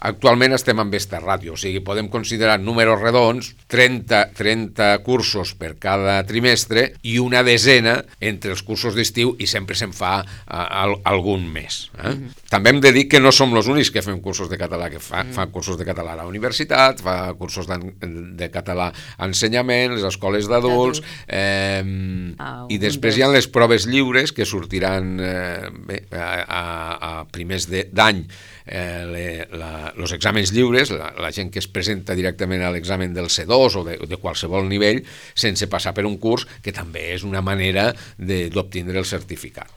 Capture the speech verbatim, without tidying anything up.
actualment estem amb esta ràtio, o sigui, podem considerar números redons, trenta, trenta cursos per cada trimestre i una desena entre els cursos d'estiu i sempre se'n fa a, a, algun més. Eh? Mm-hmm. També hem de dir que no som els únics que fem cursos de català, que fa, mm. fan cursos de català a la universitat, fa cursos de català a ensenyament, les escoles d'adults, eh, ah, i després hi ha les proves lliures que sortiran eh, bé, a, a, a primers d'any, eh, els exàmens lliures, la, la gent que es presenta directament a l'examen del C dos o de, de qualsevol nivell sense passar per un curs, que també és una manera d'obtindre el certificat.